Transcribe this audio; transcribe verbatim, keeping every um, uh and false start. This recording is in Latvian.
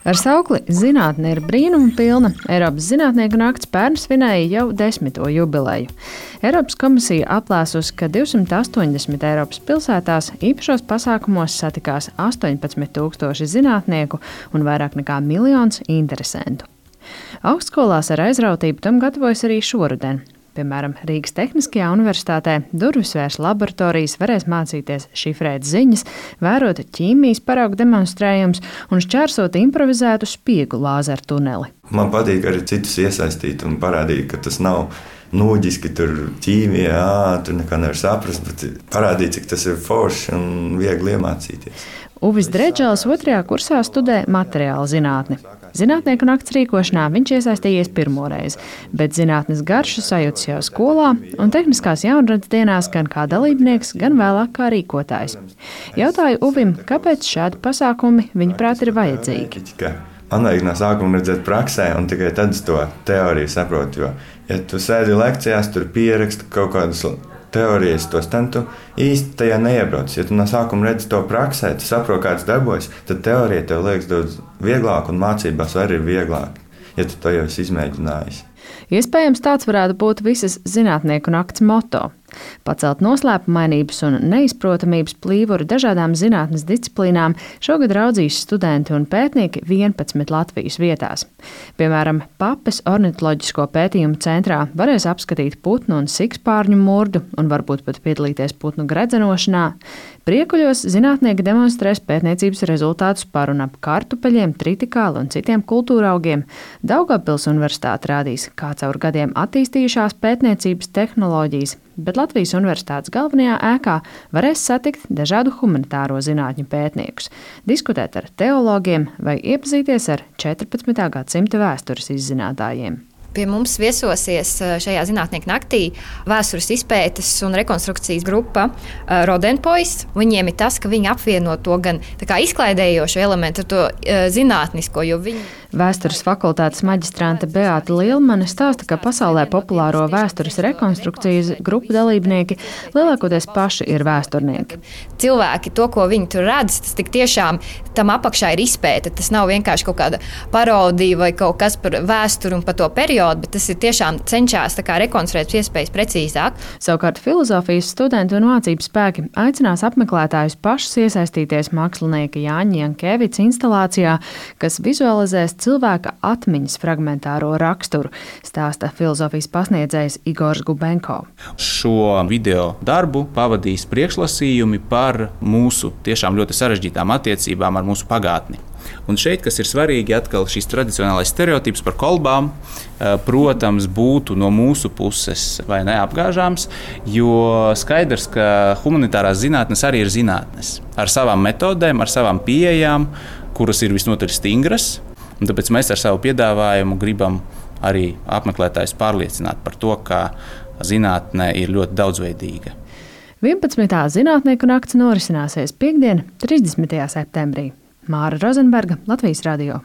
Ar saukli "Zinātne ir brīnuma pilna" Eiropas zinātnieku nakts pērn svinēja jau desmito jubileju. Eiropas komisija aplēsusi, ka divsimt astoņdesmit Eiropas pilsētās īpašos pasākumos satikās astoņpadsmit tūkstoši zinātnieku un vairāk nekā miljons interesentu. Augstskolās ar aizrautību tam gatavojas arī šoruden. Piemēram, Rīgas Tehniskajā universitātē durvisvērs laboratorijas varēs mācīties šifrēt ziņas, vērot ķīmijas paraugu demonstrējumus un šķērsot improvizētu spiegu lāzeru tuneli. Man patīk arī citus iesaistīt un parādīt, ka tas nav nūģiski, tur ķīmijā, ā, tur nekā nevar saprast, bet parādīt, cik tas ir forši un viegli iemācīties. Uvis Dredžels otrajā kursā studē materiālu zinātni. Zinātnieku nakts rīkošanā viņš iesaistījies pirmoreiz, bet zinātnes garšu sajūtas jau skolā un tehniskās jaunradas dienās gan kā dalībnieks, gan vēlāk kā rīkotājs. Jautāju Uvim, kāpēc šādi pasākumi viņuprāt ir vajadzīgi. Man vajag no sākuma redzēt praksē, un tikai tad es to teoriju saprotu. Jo, ja tu sēdi lekcijās, tur pieraksti kaut kādus teorijas, tos ten tu īsti tajā neiebrauc. Ja tu no sākuma redzi to praksē, tu saproti, kā tas darbojas, tad teorija tev liekas daudz vieglāk un mācībās arī ir vieglāk, ja tu to jau esi izmēģinājis. Iespējams, tāds varētu būt visas zinātnieku nakts moto. Pacelt noslēpumainības un neizprotamības plīvuri dažādām zinātnes disciplīnām šogad raudzīs studenti un pētnieki vienpadsmit Latvijas vietās. Piemēram, Papes ornitoloģisko pētījumu centrā varēs apskatīt putnu un sikspārņu murdu un varbūt pat piedalīties putnu gredzenošanā. Priekuļos zinātnieki demonstrēs pētniecības rezultātus par un ap kartupeļiem, tritikāli un citiem kultūraugiem. Daugavpils universitāte rādīs, kā caur gadiem attīstījušās pētniecības tehnoloģijas, bet Latvijas universitātes galvenajā ēkā varēs satikt dažādu humanitāro zinātņu pētniekus, diskutēt ar teologiem vai iepazīties ar četrpadsmitā gadsimta vēstures izzinātājiem. Pie mums viesosies šajā zinātnieku naktī vēstures izpētes un rekonstrukcijas grupa Rodenpois. Viņiem ir tas, ka viņi apvieno to gan izklaidējošo elementu ar to zinātnisko, jo viņi... Vēstures fakultātes maģistrante Beāta Lielmane stāsta, ka pasaulē populāro vēstures rekonstrukcijas grupu dalībnieki lielākoties paši ir vēsturnieki. Cilvēki, to, ko viņi tur redz, tas tik tiešām tam apakšā ir izpēte. Tas nav vienkārši kaut kāda parodija vai kaut kas par vēsturi un par to periodu, bet tas ir tiešām cenšas rekonstruēt iespējas precīzāk. Savukārt filozofijas studenti un mācību spēki aicinās apmeklētājus pašus iesaistīties mākslinieka Jāņa Jankevica instalācijā, kas vizualizēs cilvēka atmiņas fragmentāro raksturu, stāsta filozofijas pasniedzējs Igors Gubenko. Šo video darbu pavadīs priekšlasījumi par mūsu tiešām ļoti sarežģītām attiecībām ar mūsu pagātni. Un šeit, kas ir svarīgi, atkal šīs tradicionālais stereotips par kolbām, protams, būtu no mūsu puses vai neapgāžāms, jo skaidrs, ka humanitārās zinātnes arī ir zinātnes. Ar savām metodēm, ar savām pieejām, kuras ir visnotaļ stingras. Un tāpēc mēs ar savu piedāvājumu gribam arī apmeklētājus pārliecināt par to, ka zinātne ir ļoti daudzveidīga. vienpadsmitā zinātnieku nakts norisināsies piektdien, trīsdesmitajā septembrī. Māra Rozenberga, Latvijas radio.